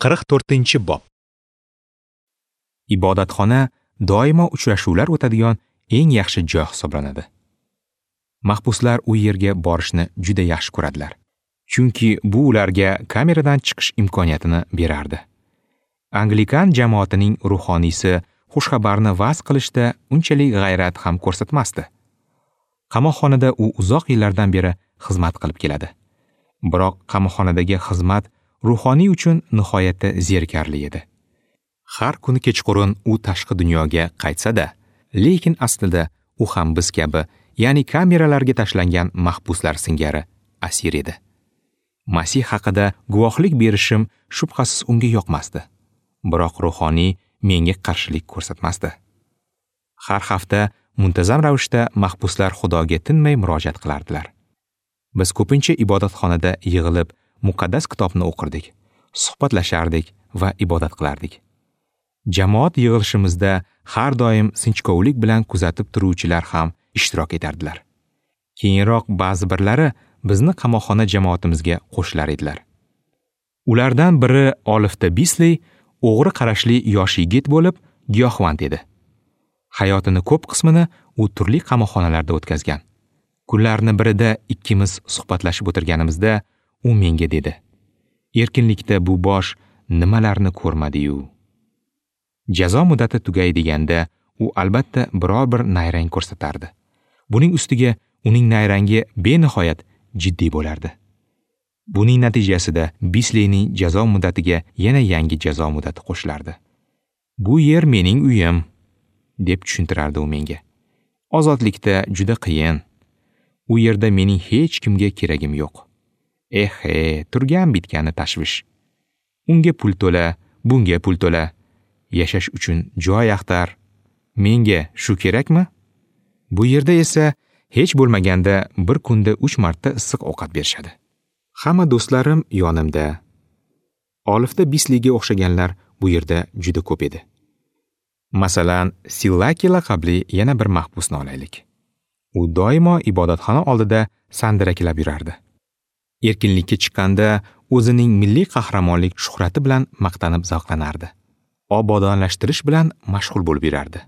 44-bob. Ibodatxona doimo uchrashuvlar o'tadigan eng yaxshi joy hisoblanadi. Mahbuslar u yerga borishni juda yaxshi ko'radilar. Chunki bu ularga kameradan chiqish imkoniyatini berardi. Anglikan jamoatining ruhoniysi xushxabarni va'z qilishda unchalik g'ayrat ham ko'rsatmasdi. Qamoqxonada u uzoq yillardan beri xizmat qilib keladi. Biroq qamoqxonadagi xizmat ruhoniy uchun nihoyatda zerikarli edi. Har kuni kechqurun u tashqi dunyoga qaytsa-da, lekin aslida u ham biz kabi, ya'ni kameralarga tashlangan mahbuslar singari asir edi. Masih haqida guvohlik berishim shubhasiz unga yoqmasdi. Biroq ruhoniy menga qarshilik ko'rsatmasdi. Har hafta muntazam ravishda mahbuslar Xudoga tinmay murojaat qilardilar. Biz ko'pincha ibodatxonada yig'ilib, muqaddas kitobni o'qirdik, suhbatlashardik va ibodat qilardik. Jamoat yig'ilishimizda har doim sinchkovlik bilan kuzatib turuvchilar ham ishtirok etardilar. Keyinroq ba'zi birlari bizni qamoqxona jamoatimizga qo'shilar edilar. Ulardan biri Olifta Bisley o'g'ri qarashli yosh yigit bo'lib, giyohvand edi. Hayotini ko'p qismini u turli qamoqxonalarda o'tkazgan. Kunlarni birida ikkimiz suhbatlashib o'tirganimizda u menga dedi: "Erkinlikda bu bosh nimalarni ko'rmadi-yu." Jazo muddati tugay deganda u albatta biror bir nayrang ko'rsatardi. Buning ustiga uning nayrangi benihoyat jiddiy bo'lardi. Buning natijasida Bisleyning jazo muddatiga yana yangi jazo muddati qo'shilardi. "Bu yer mening uyim", deb tushuntirardi u menga. "Ozodlikda juda qiyin. U yerda mening hech kimga keragim yo'q. Eh, turgan bitgani tashvish. Unga pul to'la, bunga pul to'la. Yashash uchun joy axtar. Menga shu kerakmi? Bu yerda esa hech bo'lmaganda bir kunda 3 marta issiq ovqat berishadi. Hamma do'stlarim yonimda. Olifda Bisleyga o'xshaganlar bu yerda juda ko'p edi. Masalan, Sillaki laqabli yana bir mahbusni olaylik. U doimo ibodatxona oldida sandiraklab yurardi. Erkinlikka chiqqanda o'zining milliy qahramonlik shuhrati bilan maqtanib zavqlanardi. Obodonlashtirish bilan mashg'ul bo'lib yurardi.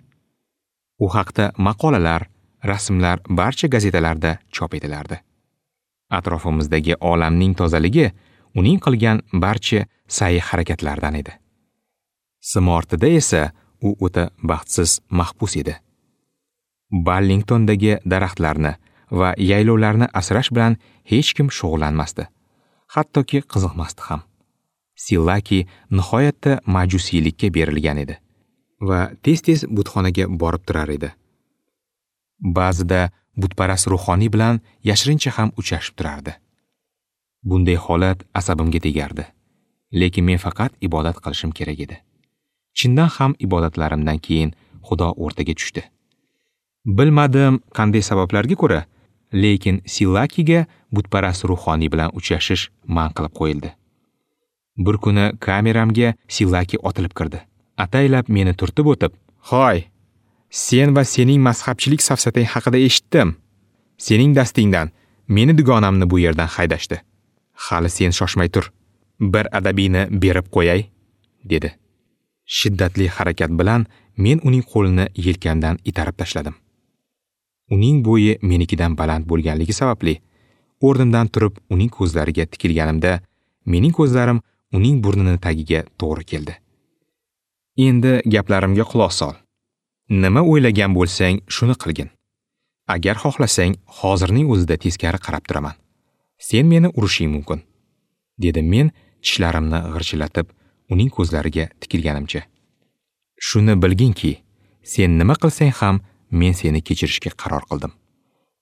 U haqda maqolalar, rasmlar barcha gazetalarda chop etilardi. Atrofimizdagi olamning tozaligi uning qilgan barcha sa'y harakatlaridan edi. Simortida esa u o'ta baxtsiz mahbus edi. Ballingtondagi daraxtlarni va yaylovlarni asrash bilan hech kim shug'ullanmasdi, hattoki qiziqmasdi ham. Sillaki nihoyatda majusiylikka berilgan edi va tez-tez butxonaga borib turar edi. Ba'zida butparast ruhoniy bilan yashirincha ham uchrashib turardi. Bunday holat asabimga tegardi, lekin men faqat ibodat qilishim kerak edi. Chindan ham ibodatlarimdan keyin Xudo o'rtaga tushdi. Bilmadim qanday sabablarga ko'ra, lekin Sillakiga butparast ruhoniy bilan uchrashish man qilib qo'yildi. Bir kuni kameramga Sillaki otilib kirdi. Ataylab meni turtib o'tib, "Hoy, sen va sening mazhabchilik safsatang haqida eshitdim. Sening dastingdan meni dugonamni bu yerdan haydashdi. Hali sen shoshmay tur. Bir adabiyni berib qo'yay", dedi. Shiddatli harakat bilan men uning qo'lini yelkamdan itarib tashladim. Uning bo'yi menikidan baland bo'lganligi sababli o'rnimdan turib uning ko'zlariga tikilganimda mening ko'zlarim uning burnini tagiga to'g'ri keldi. "Endi gaplarimga quloq sol. Nima o'ylagan bo'lsang, shuni qilgin. Agar xohlasang, hozirning o'zida teskari qarab turaman. Sen meni urishing mumkin", dedim men tishlarimni g'irchillatib uning ko'zlariga tikilganimcha. "Shuni bilginki, sen nima qilsang ham men seni kechirishga qaror qildim.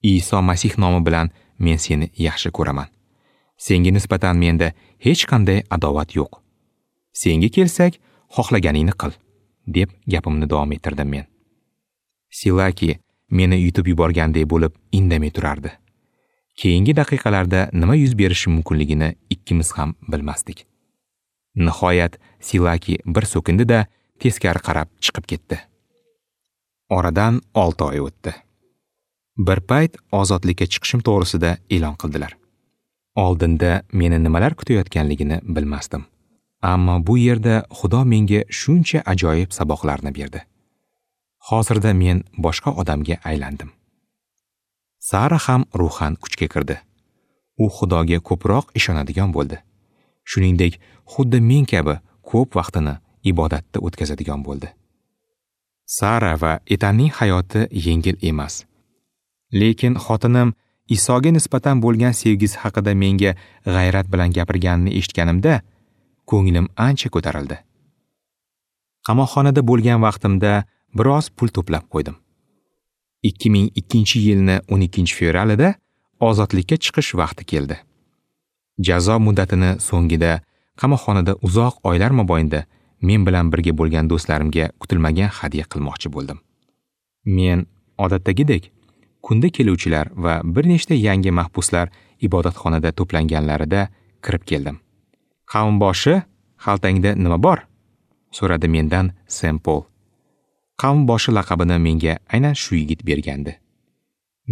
Iso Masih nomi bilan men seni yaxshi ko'raman. Senga nisbatan menda hech qanday adovat yo'q. Senga kelsak, xohlaganingni qil", deb gapimni davom ettirdim men. Sillaki meni yutib yuborganday bo'lib indamay turardi. Keyingi daqiqalarda nima yuz berishi mumkinligini ikkimiz ham bilmasdik. Nihoyat Sillaki bir so'kindi-da teskari qarab chiqib ketdi. Oradan 6 oy o'tdi. Bir payt ozodlikka chiqishim to'g'risida e'lon qildilar. Oldinda meni nimalar kutayotganligini bilmasdim. Ammo bu yerda Xudo menga shuncha ajoyib saboqlarni berdi. Hozirda men boshqa odamga aylandim. Sara ham ruhan kuchga kirdi. U Xudoga ko'proq ishonadigan bo'ldi. Shuningdek, xuddi men kabi ko'p vaqtini ibodatda o'tkazadigan bo'ldi. Sara va Etanning hayoti yengil emas. Lekin xotinim Isoga nisbatan bo'lgan sevgisi haqida menga g'ayrat bilan gapirganini eshitganimda, ko'nglim ancha ko'tarildi. Qamoqxonada bo'lgan vaqtimda biroz pul to'plab qo'ydim. 2002-yilni 12-fevralida ozodlikka chiqish vaqti keldi. Jazo muddatini so'ngida qamoqxonada uzoq oylar mobaynida men bilan birga bo'lgan do'stlarimga kutilmagan hadya qilmoqchi bo'ldim. Men odatdagidek kunda keluvchilar va bir nechta yangi mahbuslar ibodatxonada to'planganlarida kirib keldim. "Qavmboshi, xaltangda nima bor?" so'radi mendan Sem Pol. Qavmboshi laqabini menga aynan shu yigit bergandi.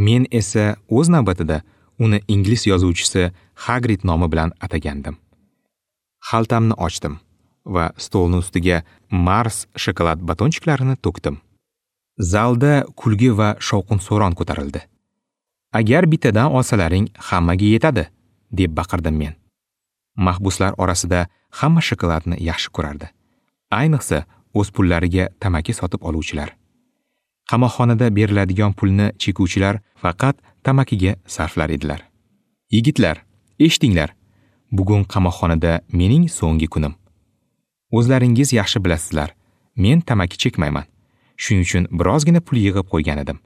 Men esa o'z navbatida uni ingliz yozuvchisi Hagrid nomi bilan atagandim. Xaltamni ochdim va stolning ustiga Mars shokolad batonchiklarini to'kdim. Zalda kulgi va shovqin-suron ko'tarildi. "Agar bittadan olsalaring hammaga yetadi", deb baqirdim men. Mahbuslar orasida hamma shokoladni yaxshi ko'rardi. Ayniqsa o'z pullariga tamaki sotib oluvchilar. Qamoqxonada beriladigan pulni chekuvchilar faqat tamakiga sarflar edilar. "Yigitlar, eshitinglar. Bugun qamoqxonada mening so'nggi kunim. O'zlaringiz yaxshi bilasizlar, men tamaki chekmayman. Shuning uchun birozgina pul yig'ib qo'ygan edim.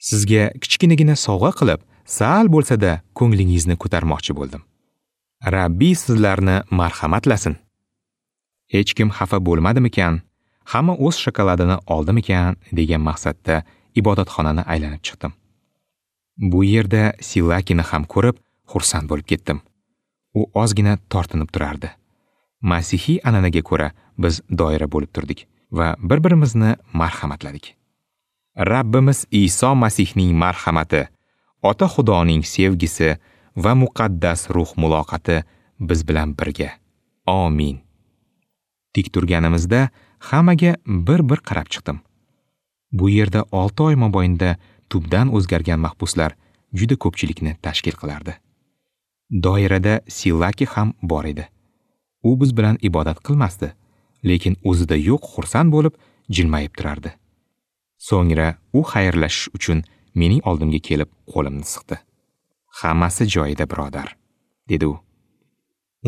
Sizga kichkinagina sovg'a qilib, sal bo'lsa-da ko'nglingizni ko'tarmoqchi bo'ldim. Rabbiy sizlarni marhamatlasin." Hech kim xafa bo'lmadimikan, hamma o'z shokoladini oldimikan degan maqsadda ibodatxonani aylanib chiqdim. Bu yerda Silakini ham ko'rib xursand bo'lib ketdim. U ozgina tortinib turardi. Masihiy an'anaga ko'ra biz doira bo'lib turdik va bir-birimizni marhamatladik. Rabbimiz Iso Masihning marhamati, Ota Xudoning sevgisi va muqaddas ruh muloqati biz bilan birga. Amin. Tik turganimizda hammaga bir-bir qarab chiqdim. Bu yerda 6 oy mobaynida tubdan o'zgargan mahbuslar juda ko'pchilikni tashkil qilardi. Doirada Silaki ham bor edi. U biz bilan ibodat qilmasdi, lekin o'zida yo'q xursand bo'lib jilmayib turardi. So'ngra u xayrlashish uchun mening oldimga kelib qo'limni siqdi. "Hammasi joyida, birodar", dedi u.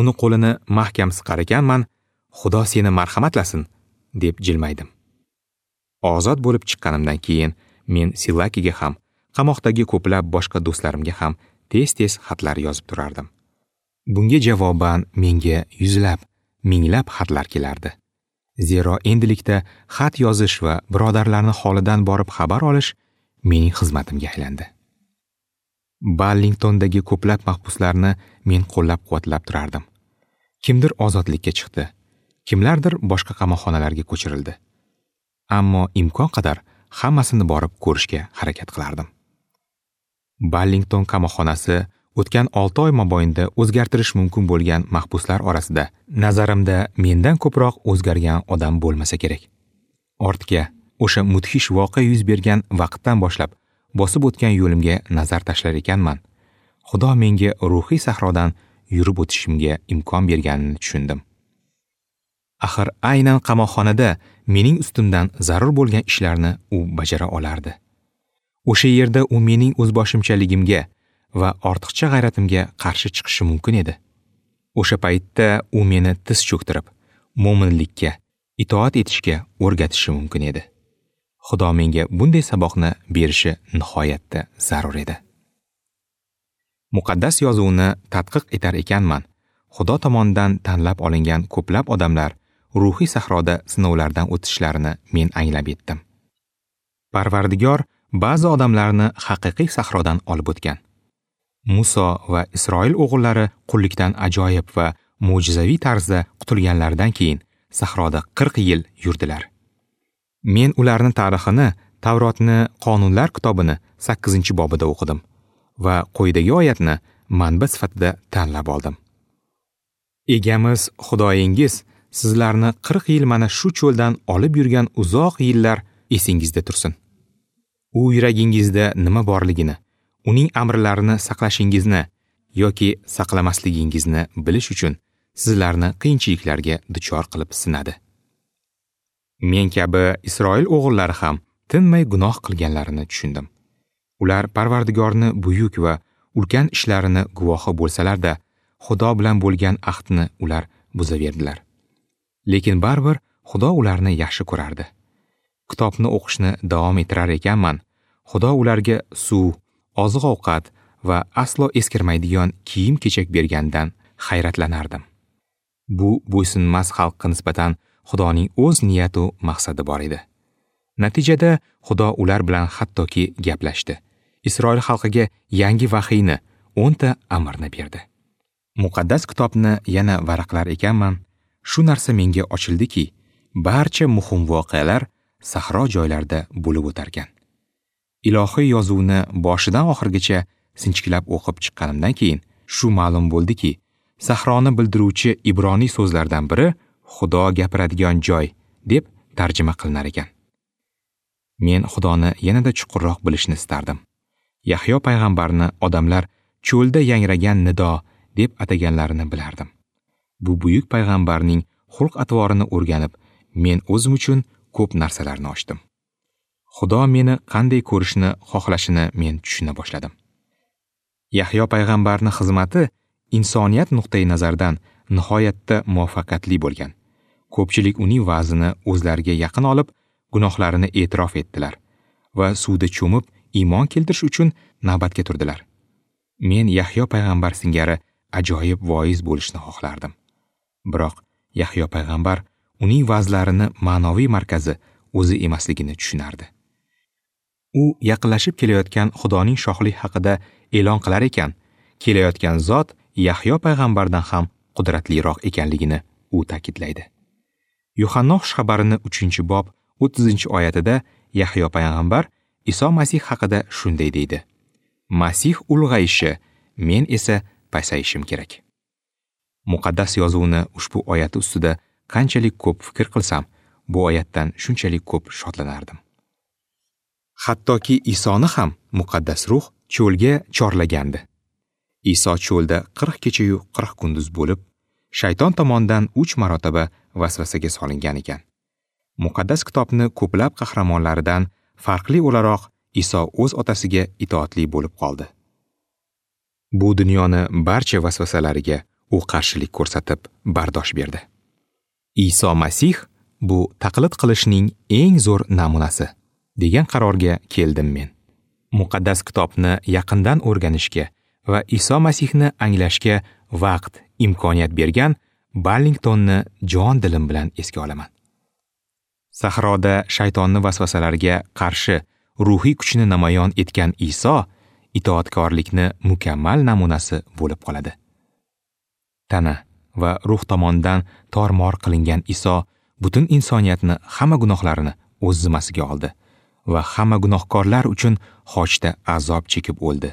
Uni qo'lini mahkam siqar ekanman, "Xudo seni marhamatlasin", deb jilmaydim. Ozod bo'lib chiqqanimdan keyin men Silakiga ham, qamoqdagi ko'plab boshqa do'stlarimga ham tez-tez xatlar yozib turardim. Bunga javoban menga yuzlab, minglab xatlar kelardi. Zero endilikda xat yozish va birodarlarning holidan borib xabar olish mening xizmatimga aylandi. Ballingtondagi ko'plab mahbuslarni men qo'llab-quvvatlab turardim. Kimdir ozodlikka chiqdi, kimlardir boshqa qamoqxonalarga ko'chirildi. Ammo imkon qadar hammasini borib ko'rishga harakat qilardim. Ballington qamoqxonasi o'tgan 6 oy mobaynida o'zgartirish mumkin bo'lgan mahbuslar orasida nazarimda mendan ko'proq o'zgargan odam bo'lmasa kerak. Ortga, o'sha mudhish voqea yuz bergan vaqtdan boshlab bosib o'tgan yo'limga nazar tashlar ekanman, Xudo menga ruhiy sahrodan yurib o'tishimga imkon berganini tushundim. Axir aynan qamoqxonada mening ustimdan zarur bo'lgan ishlarni u bajara olardi. O'sha yerda u mening o'zboshimchaligimga va ortiqcha g'ayratimga qarshi chiqishi mumkin edi. O'sha paytda u meni tiz cho'ktirib, mo'minlikka, itoat etishga o'rgatishi mumkin edi. Xudo menga bunday saboqni berishi nihoyatda zarur edi. Muqaddas yozuvni tadqiq etar ekanman, Xudo tomonidan tanlab olingan ko'plab odamlar ruhiy sahroda sinovlardan o'tishlarini men anglab yetdim. Parvardigor ba'zi odamlarni haqiqiy sahrodan olib o'tgan. Muso va Isroil o'g'illari qullikdan ajoyib va mo'jizaviy tarzda qutulganlaridan keyin sahroda 40 yil yurdilar. Men ularning tarixini Tavrotni Qonunlar kitobini 8-bobida o'qidim va quyidagi oyatni manba sifatida tanlab oldim. Egamiz Xudoyingiz sizlarni 40 yil mana shu cho'ldan olib yurgan uzoq yillar esingizda tursin. U yuragingizda nima borligini, uning amrlarini saqlashingizni yoki saqlamasligingizni bilish uchun sizlarni qiyinchiliklarga duchor qilib sinadi. Men kabi Isroil o'g'illari ham tinmay gunoh qilganlarini tushundim. Ular Parvardigorni buyuk va ulkan ishlarini guvohi bo'lsalar-da, Xudo bilan bo'lgan ahdni ular buzaverdilar. Lekin baribir Xudo ularni yaxshi ko'rardi. Kitobni o'qishni davom ettirar ekanman, Xudo ularga suv, oziq-ovqat va aslo eskirmaydigan kiyim-kechak bergandan hayratlanardim. Bu bo'ysunmas xalqqa nisbatan Xudoning o'z niyati va maqsadi bor edi. Natijada Xudo ular bilan hattoki gaplashdi. Isroil xalqiga yangi vahiyni, 10 ta amrni berdi. Muqaddas kitobni yana varaqlar ekanman, shu narsa menga ochildiki, barcha muhim voqealar sahro joylarida bo'lib o'tarkan. Ilohiy yozuvni boshidan oxirigacha sinchiklab o'qib chiqqanimdan keyin shu ma'lum bo'ldiki, sahroni bildiruvchi ibroniy so'zlardan biri Xudo gapiradigan joy deb tarjima qilinar ekan. Men Xudoni yanada chuqurroq bilishni istardim. Yahyo payg'ambarni odamlar cho'lda yangragan nido deb ataganlarini bilardim. Bu buyuk payg'ambarning xulq-atvorini o'rganib, men o'zim uchun ko'p narsalarni ochdim. Xudo meni qanday ko'rishni xohlashini men tushuna boshladim. Yahyo payg'ambarning xizmati insoniyat nuqtai nazaridan nihoyatda muvaffaqiyatli bo'lgan. Ko'pchilik uning va'zini o'zlariga yaqin olib, gunohlarini e'tirof etdilar va suvda cho'mib iymon keltirish uchun navbatga turdilar. Men Yahyo payg'ambar singari ajoyib voiz bo'lishni xohlardim. Biroq Yahyo payg'ambar uning va'zlarini ma'noviy markazi o'zi emasligini tushunardi. U yaqinlashib kelayotgan Xudoning shohligi haqida e'lon qilar ekan, kelayotgan zot Yahyo payg'ambardan ham qudratliroq ekanligini u ta'kidlaydi. Yuhanno xushxabarini 3-bob 30-oyatida Yahyo payg'ambar Iso Masih haqida shunday deydi: Masih ulg'ayishi, men esa pasayishim kerak. Muqaddas yozuvni ushbu oyati ustida qanchalik ko'p fikr qilsam, bu oyatdan shunchalik ko'p shodlanardim. Hattoki Isoni ham muqaddas ruh cho'lga chorlagandi. Iso cho'lda 40 kecha-yu 40 kunduz bo'lib, shayton tomonidan 3 marotaba vasvasaga solingan ekan. Muqaddas kitobni ko'plab qahramonlaridan farqli o'laroq Iso o'z otasiga itoatli bo'lib qoldi. Bu dunyoni barcha vasvasalariga u qarshilik ko'rsatib bardosh berdi. Iso Masih bu taqlid qilishning eng zo'r namunasi degan qarorga keldim men. Muqaddas kitobni yaqindan o'rganishga va Iso Masihni anglashga vaqt, imkoniyat bergan Barlingtonni jon dilim bilan esga olaman. Sahroda shaytonni vasvasalariga qarshi ruhiy kuchni namoyon etgan Iso itoatkorlikni mukammal namunasi bo'lib qoladi. Tana va ruh tomonidan tormor qilingan Iso butun insoniyatni hamma gunohlarini o'z zimmasiga oldi va hamma gunohkorlar uchun xochda azob chekib o'ldi.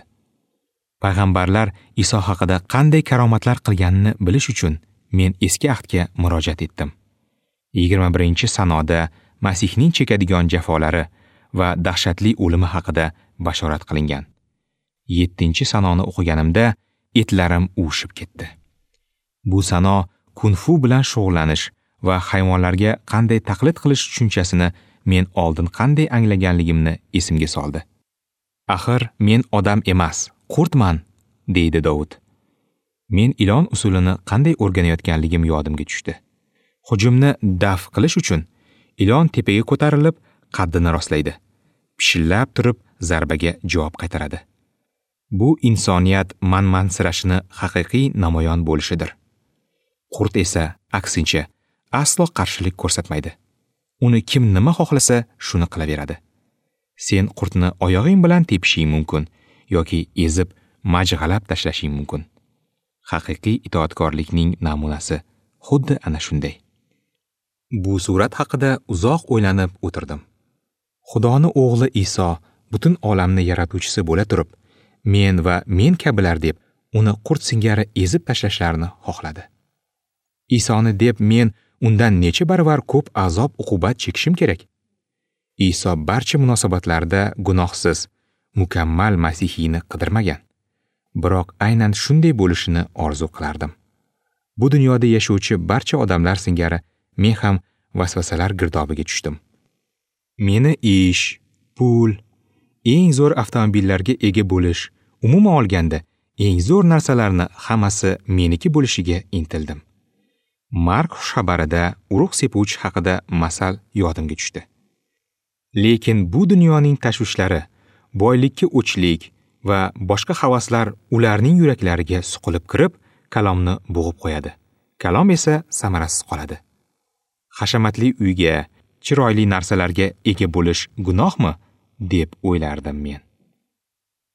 Payg'ambarlar Iso haqida qanday karomatlar qilganini bilish uchun men Eski ahdga murojaat etdim. 21-sanoda Masihning chekadigan jafolari va dahshatli o'limi haqida bashorat qilingan. 7-sanoni o'qiganimda etlarim uvushib ketdi. Bu sano kung-fu bilan shug'ullanish va hayvonlarga qanday taqlid qilish tushunchasini men oldin qanday anglaganligimni esimga soldi. Axir men odam emas, qurtman, deydi Dovud. Men ilon usulini qanday o'rganayotganligim yodimga tushdi. Hujumni daf qilish uchun ilon tepaga ko'tarilib, qaddini rostlaydi. Pishillab turib zarbaga javob qaytaradi. Bu insoniyat manmansirashini haqiqiy namoyon bo'lishidir. Qurt esa aksincha aslo qarshilik ko'rsatmaydi. Uni kim nima xohlasa shuni qilaveradi. Sen qurtni oyog'ing bilan tepishing mumkin yoki ezib majg'alab tashlashing mumkin. Haqiqiy itoatkorlikning namunasi xuddi ana shunday. Bu surat haqida uzoq o'ylanib o'tirdim. Xudoni o'g'li Iso butun olamni yaratuvchisi bo'la turib, men va men kabilar deb uni qurt singari ezib tashlashlarini xohladi. Isoni deb men undan necha baravar ko'p azob uqubat chekishim kerak? Iso barcha munosabatlarda gunohsiz, mukammal masihiyni qidirmagan. Biroq aynan shunday bo'lishini orzu qilardim. Bu dunyoda yashovchi barcha odamlar singari men ham vasvasalar girdobiga tushdim. Meni ish, pul, eng zo'r avtomobillarga ega bo'lish, umuman olganda eng zo'r narsalarni hammasi meniki bo'lishiga intildim. Mark xushxabarida urug' sepuvchi haqida masal yodimga tushdi. Lekin bu dunyoning tashvishlari, boylikka o'chlik va boshqa havaslar ularning yuraklariga suqilib kirib, kalomni bo'g'ib qo'yadi. Kalom esa samarasiz qoladi. Hashamatli uyga, chiroyli narsalarga ega bo'lish gunohmi, deb o'ylardim men.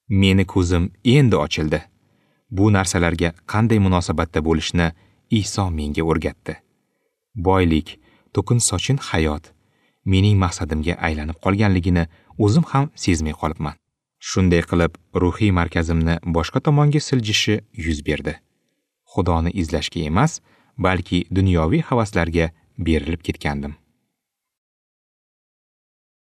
Meni ko'zim endi ochildi. Bu narsalarga qanday munosabatda bo'lishni Iso menga o'rgatdi. Boylik, to'kin-sochin hayot mening maqsadimga aylanib qolganligini o'zim ham sezmay qolibman. Shunday qilib, ruhiy markazimni boshqa tomonga siljishi yuz berdi. Xudoni izlashga emas, balki dunyoviy havaslarga berilib ketgandim.